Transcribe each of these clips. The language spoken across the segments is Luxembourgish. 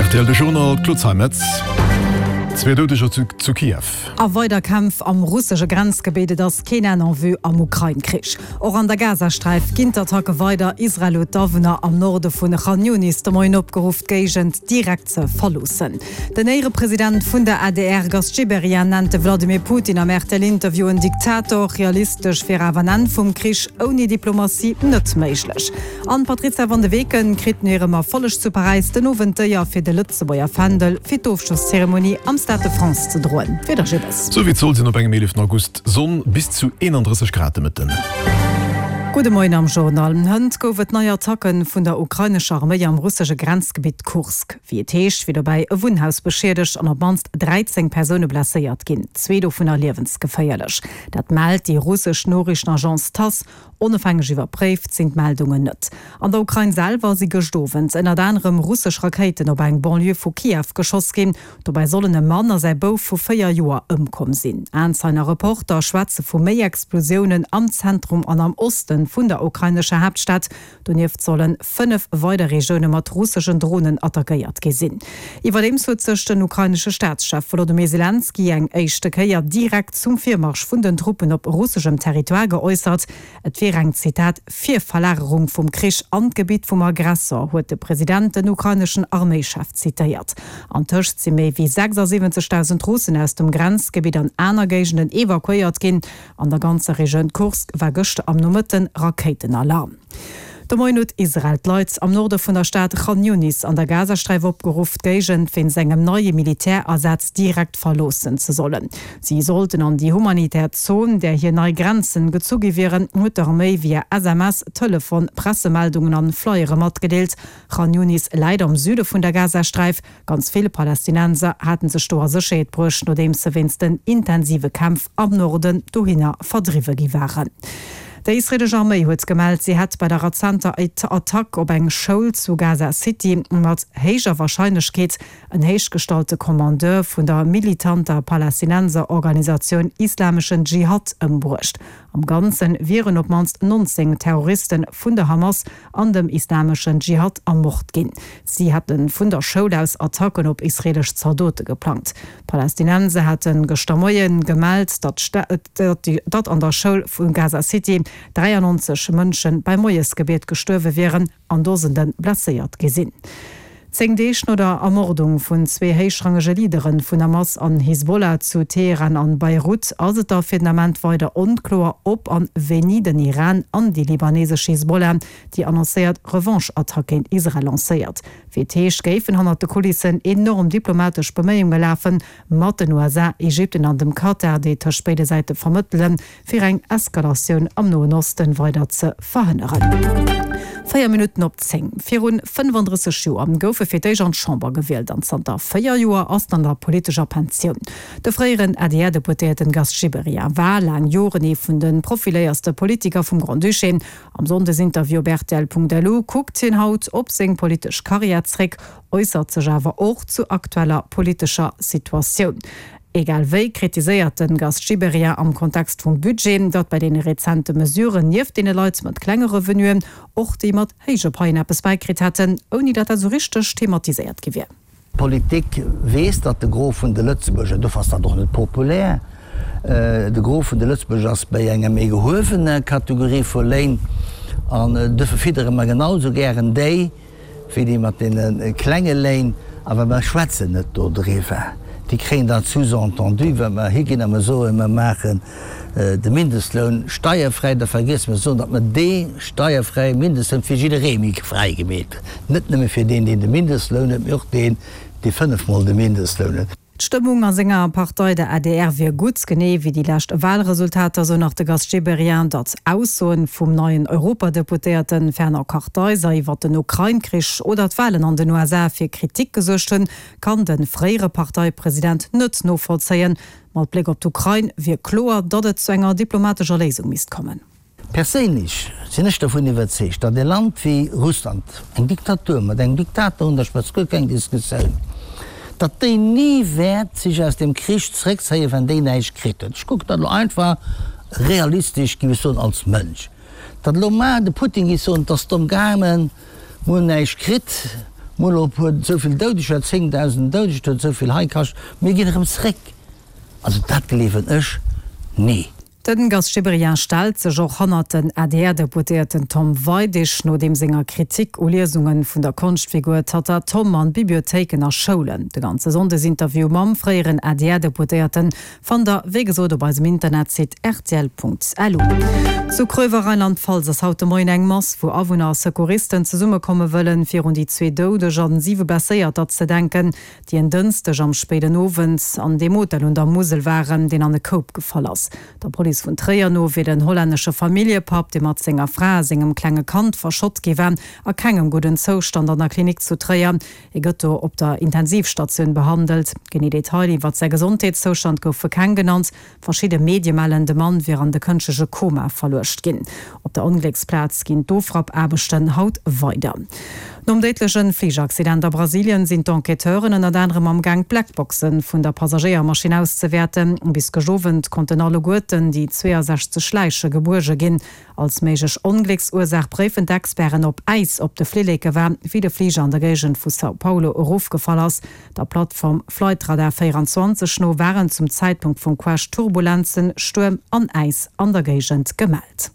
Rtl De Journal, Claude Zeimetz. Zwee Doudeger zu Kiew. A weider Kämpf am russesche Grenzgebitt, Et ass keen Enn en vue am Ukrain-Krich. Och an der Gazasträif ginn d'Attacke weider. Israel huet d'Awunner am Norde vun Khan Younis de Moien opgeruff, d'Géigend direkt ze verloossen. Den Éierepresident vun der adr Gast Gibéryen nennt de Vladimir Putin am RTL-Interview en Diktator. Realistesch wier awer en Enn vum Krich ouni Diplomatie net méiglech. An d'Patrizia van de Weken kritt no hirem Erfolleg zu Paräis den Owend d'Éier fir de Lëtzebuerger Fändel fir d'Ofschlosszeremonie am Stade de France ze droen. Wieder Gibbes. Sou wéi et soll sinn op engem 11 August, Sonn, bis zu 31 Grad de Mëtten. Gudde Moien am Journal. Hënt gouf et nei Attacke vun der ukrainescher Arméi am russesche Grenzgebitt Kursk. Wéi et heescht, wier dobäi e Wunnhaus beschiedegt an op d'mannst 13 Persoune blesséiert ginn, zwee dovunner liewensgeféierlech. Dat mellt déi russesch Noriichtenagence Tass. Onofhängeg iwwerpréift sinn d'Meldungen net. An der Ukrain selwer si gëscht Owend ënnert anerem russesch Rakéiten op eng Banlieue vu Kiew geschoss ginn. Dobäi sollen e Mann a säi Bouf vu 4 Joer ëmkomm sinn. Aenzeien a Reporter schwätze vu méi Explosiounen am Zentrum an am Oste vun der ukrainescher Haaptstad. Donieft solle 5 weider Regioune mat russeschen Dronen attackéiert gi sinn. Iwwerdeems huet sech den ukrainesche Staatschef Wolodymyr Selenskyj eng éischte Kéier direkt zum Virmarsch vun den Truppen op russeschem Territoire geäussert. Et wier eng, Zitat, Virverlagerung vum Krich an d'Gebitt vum Aggressor, huet de President den ukraineschen Arméischef zitéiert. Antëscht si méi wéi 76.000 Russen aus dem Grenzgebitt an aner Géigenden evakuéiert ginn. An der ganzer Regioun Kursk war gëschter am Nomëtten Rakéitenalarm. De Moien huet Israel d'Leit am Norde vun der Stad Khan Younis an der Gazasträif opgeruff, d'Géigend wéinst engem neie Militärasaz direkt verloossen ze sollen. Si sollten an déi humanitär Zon, där hir nei Grenzen gezu gi wieren, huet d'Arméi via SMS, Telefon, Pressemeldungen an Flyere matgedeelt. Khan Younis läit am Süde vun der Gazasträif. Ganz vill Palästinenser haten sech do a Sécherheet bruecht, nodeems se wéinst den intensive Kämpf am Norden dohinner verdriwwe gi waren. Déi israeelesch Arméi huet gemellt, si hätt bei der rezenter Attack op eng Schoul zu Gaza City mat héijer Warscheinlechkeet en héichgestallte Kommandeur vun der militanter Palästinenserorganisatioun Islameschen Dschihad ëmbruecht. Am Ganze wieren op d'mannst 19 Terroriste vun der Hamas an dem Islameschen Dschihad ermort ginn. Si hätte vun der Schoul aus Attacken op israeelesch Zaldote geplangt. D'Palästinenser hate gëschter Moie gemellt, datt an der Schoul vu Gaza City 93 Mënsche beim Moiesgebiet gestuerwe wieren an Dosende blesséiert gi sinn. Zéng Deeg no der Ermordung vun zwee héichrangege Leadere vun Hamas an Hisbollah zu Teheran an Beirut ass et da fir den Ament weider onkloer, ob an wéini den Iran an déi libanesesch Hisbollah déi annoncéiert Revanche-Attack géint Israel lancéiert. Wéi et heescht, géifen hannert de Kulissen enorm diplomatesch Beméiunge lafen, mat den USA, Ägypten an dem Katar, déi tëscht béide Säite vermëttelen, fir eng Eskalatioun am Noen Osten weider ze verhënneren. 4 Minutten op 10. Virun 35 Joer gouf e fir d'éischt an d'Chamber gewielt an zanter 4 Joer ass en an der politescher Pensioun. De fréieren ADR-Deputéierten Gast Gibéryen war laang Joren ee vun de profiléierste Politiker vum Grand-Duché. Am Sonndesinterview op rtl.lu kuckt hien haut op seng politesch Karriär zréck, äussert sech awer och zu aktueller politescher Situatioun. Egal wéi kritiséiert de Gast Gibéryen am Kontext vum Budget, datt bei deene rezente Mesuren nieft deene Leit mat klenge Revenuen och déi mat héije Paien eppes bäikritt hätten, ouni datt dat esou richteg thematiséiert gi wier. D'Politik weess, datt de Gros vun de Lëtzebuerger, dofir ass dat och net populär, de Gros vun de Lëtzebuerger ass bei enger méi gehuewener Kategorie vu Léin an dofir fiddere mer genau esou gären déi, wéi déi mat deene klenge Léin, awer mer schwätzen net dodriwwer. Déi kréien dat sous-entendu, wa mer higinn a mer soen, mer maachen de Mindestloun steierfräi, da vergiesse mer ze soen, datt mer dee steierfräie Mindestloun fir jidderee méi fräi gemeet hunn, net nëmme fir deen, deen de Mindestloun huet, mee och deen, dee fënnefmol de Mindestloun huet. D'Stëmmung a senger Partei, der adr, wier gutt, genee wéi déi lescht Walresultater, sou nach de Gast Gibéryen. Datt Aussoen vum neien Europadeputéierte Fernand Kartheiser iwwer den Ukrain-Krich oder d'Walen an den USA fir Kritik gesuergt hunn, kann de fréiere Parteipresident net novollzéien. Mat Bléck op d'Ukrain wier kloer, datt et zu enger diplomatescher Léisung misst kommen. Perséinlech sinn ech dovun iwwerzeegt, datt e Land wéi Russland, eng Diktatur mat engem Diktator un der Spëtzt, guer keng Diskussioun, datt déi ni wäert sech aus deem Krich zréckzéien, wann déi näischt kritt huet. Ech kucken dat elo einfach realistesch, géif ech soen, als Mënsch. Datt elo mar de Putin géif soen, et ass domm gaangen, mir hunn näischt kritt. Mol elo e puer, esou vill Doudeger, 10.000 Doudeger, et huet esou vill hei kascht, mir ginn erëm zréck. Also dat gleewen ech ni. Den Gast Gibéryen stellt sech och hannert den ADR-Deputéierten Tom Weidig no deem senger Kritik u Liesungen vun der Konschtfigur Tatta Tom an Bibliothéiken a Schoulen. De ganze Sonndesinterview mam fréieren ADR-Deputéierten fannt der wéi gesot op eisem Internetsite rtl.lu. Zu Kröver, Rheinland-Pfalz, ass haut de Moien eng Mass, wou Awunner a Secouristen zesummekomme wëllen, fir un déi zwee Doudeg an siwe Blesséierter ze denken, déi en Dënschdeg am spéiden Owend an deem Hotel un der Musel waren, deen an e Koup gefall ass. Der Police vun Tréier no wier den hollännesche Familljepapp, dee mat senger Fra a sengem klenge Kand verschott gi war, a kengem gudden Zoustand an der Klinik zu Tréier. Hie gëtt do op der Intensivstatioun behandelt. Genee Detailer iwwert säi Gesondheetszoustand goufe keng genannt. Verschidde Medie mellen, de Mann wier an de kënschtleche Koma verluecht ginn. Op der Onglécksplaz ginn d'Ofrappaarbechten haut weider. Nom déidleche Fligeraccident a Brasilien sinn d'Enquêteuren ënnert anerem am Gaang d'Blackboxe vun der Passagéiermaschinn auszewäerten. Bis gëscht Owend konnten alleguerten déi 62 Läiche gebuerge ginn. Als méiglech Onglécksursaach préifen d'Experten, ob Äis op de Flilleke war, wéi de Fliger an der Géigend vu São Paulo erofgefall ass. Der Plattform Flightradar 24 no waren zum Zäitpunkt vum Crash Turbulenzen, Stuerm an Äis an der Géigend gemellt.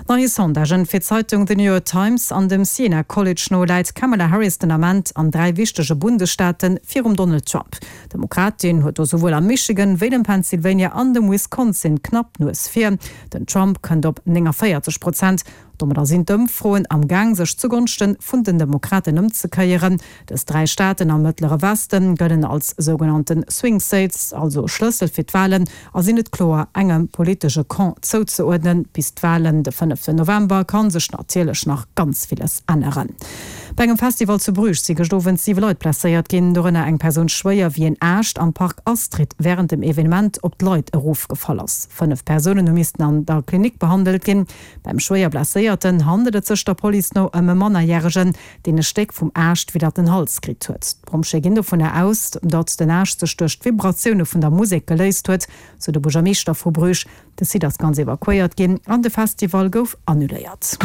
Neie Sondagen fir d'Zeitung The New York Times an dem Siena College no läit d'Kamala Harris den Ament an 3 wichtege Bundesstaate virum Donald Trump. D'Demokratin huet do souwuel am Michigan, wéi dem Pennsylvania an dem Wisconsin knapp d'Nues vir. Den Trump kënnt op 49 Prozent. Domadder sinn d'Ëmfroen am Gaang sech zugonschte vun den Demokraten ëmzekéieren. Dës 3 Staaten am Mëttlere Weste gëllen als sougenannte Swing States, also Schlëssel fir d'Walen, a sinn net kloer engem politesche Camp zouzeuerdnen. Bis d'Walen de fënneften November ka sech natierlech nach ganz villes änneren. Bei engem Festival zu Bruges si gëscht Owend 7 Leit blesséiert ginn, dorënner eng Persoun schwéier, wéi en Aascht am Park Astrid wärend dem Evenement op d'Leit erofgefall ass. 5 Persounen hu missten an der Klinik behandelt ginn. Beim schwéier Blesséierten handelt et sech der Police no ëm e Mannerjäregen, deen e Stéck vum Aascht widder den Hals kritt huet. D'Pompjeeë ginn dovunner aus, datt den Aascht sech duerch d'Vibratioune vun der Musek geléist huet, sou de Buergermeeschter vu Bruges. De Site ass ganz evakuéiert ginn an de Festival gouf annuléiert.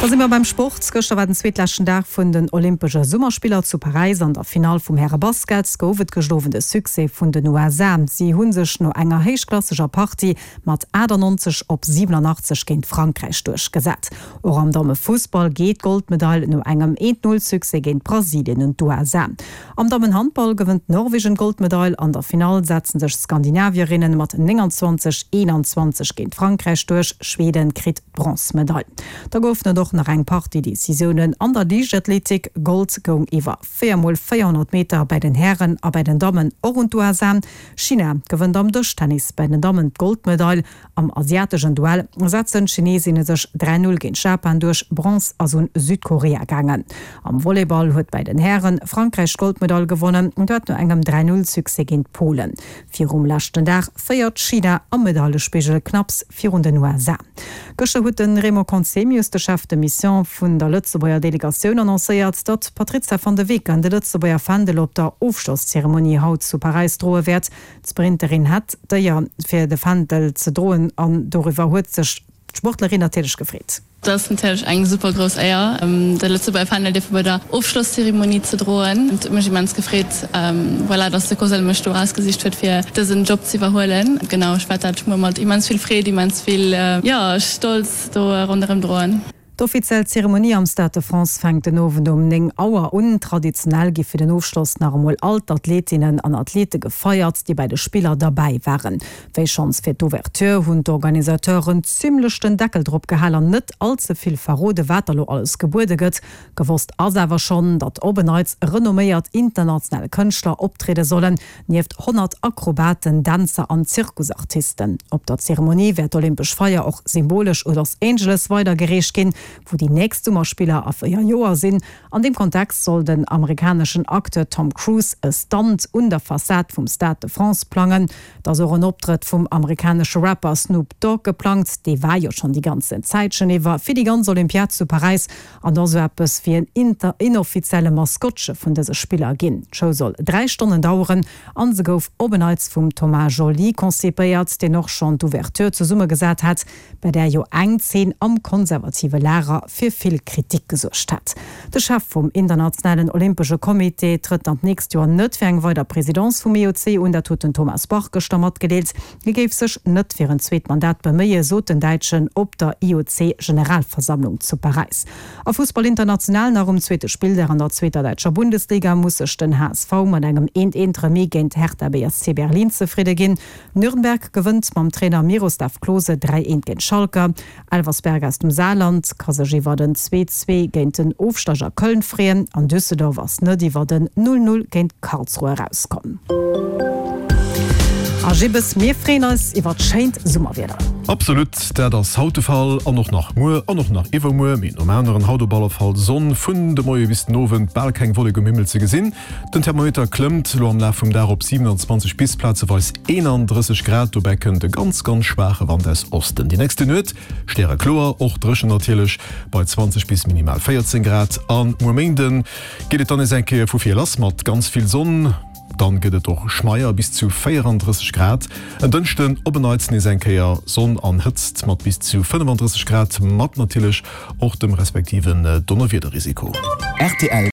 Da si mer beim Sport. Gëschter war den zweetleschten Dag vun den Olympesche Summerspiller zu Paräis. An der Finall vum Häre-Basket gouf et gëscht Owend e Succès vun den USA. Si hu sech no enger héichklasseger Partie mat 98 op 87 géint Frankräich duerchgesat. Och am Dammefussball geet d'Goldmedail no engem Eent-Null-Succès géint Brasilien un d'USA. Am Dammenhandball gewënnt Norwegen d'Goldmedail. An der Finall setzen sech d'Skandinavierinnen mat 29, 21 géint Frankräich duerch. Schweden kritt d'Bronzmedail. Da goufen et och nach eng Partie Decisiounen an der Liichtathletik. Gold goung iwwer 4 mol 400 Meter bäi den Hären a bäi den Dammen och un d'USA. China gewënnt am Dëschtennis bäi den Dammen d'Goldmedail. Am asiateschen Duell setzen d'Chineesinne sech 3, 0 géint Japan duerch, Bronze ass un Südkorea gaangen. Am Volleyball huet bäi den Hären Frankräich d'Goldmedail gewonnen, dat no engem 3, 0 Succès géint Polen. Virum leschten Dag féiert China am Medailespigel knapps virun den USA. Gëschter huet de Raymond Conzemius, de Chef de Mission vun der Lëtzebuerger Delegatioun, annoncéiert, datt d'Patrizia van de Weken de Lëtzebuerger Fändel op der Ofschlosszeremonie haut zu Paräis droe wäert. D'Sprinterin hat d'Éier, fir de Fändel ze droen an doriwwer huet sech d'Sportlerin natierlech gefreet. Dat ass natierlech eng super grouss Éier, de Lëtzebuerger Fändel dierfe bei der Ofschlosszeremonie ze droen. Et huet mech immens gefreet, voilà, dass de COSL mech do erausgesicht huet, fir dësen Job ze iwwerhuelen. Genau, ech wäert dat muer mat immens vill Freed, immens vill, jo, Stolz do ronderëm droen. D'offiziell Zeremonie am Stade de France fänkt den Owend um 9 Auer un. Traditionell gi fir den Ofschloss nach emol all d'Athletinnen an Athlete gefeiert, déi bei de Spiller derbäi waren. Wéi schonns fir d'Ouverture hunn d'Organisateuren zimmlech den Deckel drop gehal an net all ze vill verrode wat da lo alles gebuede gëtt. Gewosst ass awer schonn, datt op en Neits renomméiert international Kënschtler optriede sollen, nieft 100 Akrobaten, Dänzer an Zirkusartisten. Op der Zeremonie wäert d'Olympesch Feier och symbolesch u Los Angeles weidergereecht ginn, wou déi nächst Summerspiller a 4 Joer sinn. An deem Kontext soll den amerikaneschen Acteur Tom Cruise e Stunt un der Fassad vum Stade de France plangen. Et ass och en Optrëtt vum amerikanesche Rapper Snoop Dogg geplangt. Dee war jo schonn déi ganzen Zäitchen iwwer fir déi ganz Olympiad zu Paräis an ass esou eppes wéi en inoffizielle Maskottche vun dëse Spiller ginn. D'Show soll 3 Stonnen daueren an se gouf op en Neits vum Thomas Jolly konzipéiert, deen och schonn d'Ouverture zesummegesat hat, bei där jo eng Zeen am konservative Lager. Lager fir vill Kritik gesuergt hat. De Chef vum Internationalen Olympesche Comité trëtt dann d'nächst Joer net fir eng weider Presidence vum IOC un, dat huet den Thomas Bach gëschter matgedeelt. Hie géif sech net fir en zweet Mandat beméien, sot den Däitschen op der IOC-Generalversammlung zu Paräis. A Fussball international nach um zweete Spilldag an der zweeter däitscher Bundesliga muss sech den HSV mat engem eent eent Remis géint Hertha BSC Berlin zefridde ginn. Nürnberg gewënnt mam Trainer Miroslav Klose 3 eent géint Schalke. Elversberg aus dem Saarland ka sech iwwert en 2, 2 géint den Ofsteiger Köln freeën an Düsseldorf ass net iwwert en 0, 0 géint Karlsruhe erauskomm. A Jibbes, mir freeën eis iwwert schéint Summerwieder. Absolut, dat ass haut de Fall an och nach muer an och nach iwwermuer. Mee nom aneren haut op alle Fall Sonn vun de Moie bis den Owend, bal keng Wollek um Himmel ze gesinn. Den Thermometer klëmmt elo am Laf vum Dag op 27 bis plazeweis 31 Grad. Dobäi kënnt e ganz ganz schwaache Wand aus Osten. Déi nächste Nuet stärekloer, och dréchen natierlech, bei 20 bis minimal 14 Grad. A muer Méinde geet et dann nees eng Kéier vu vir lass mat ganz vill Sonn. Dann gëtt et och schmeier, bis zu 34 Grad. En Dënschden op en Neits nees eng Kéier Sonn an Hëtzt mat bis zu 35 Grad, mat natierlech och dem respektiven Donnerwiederrisiko. Rtl.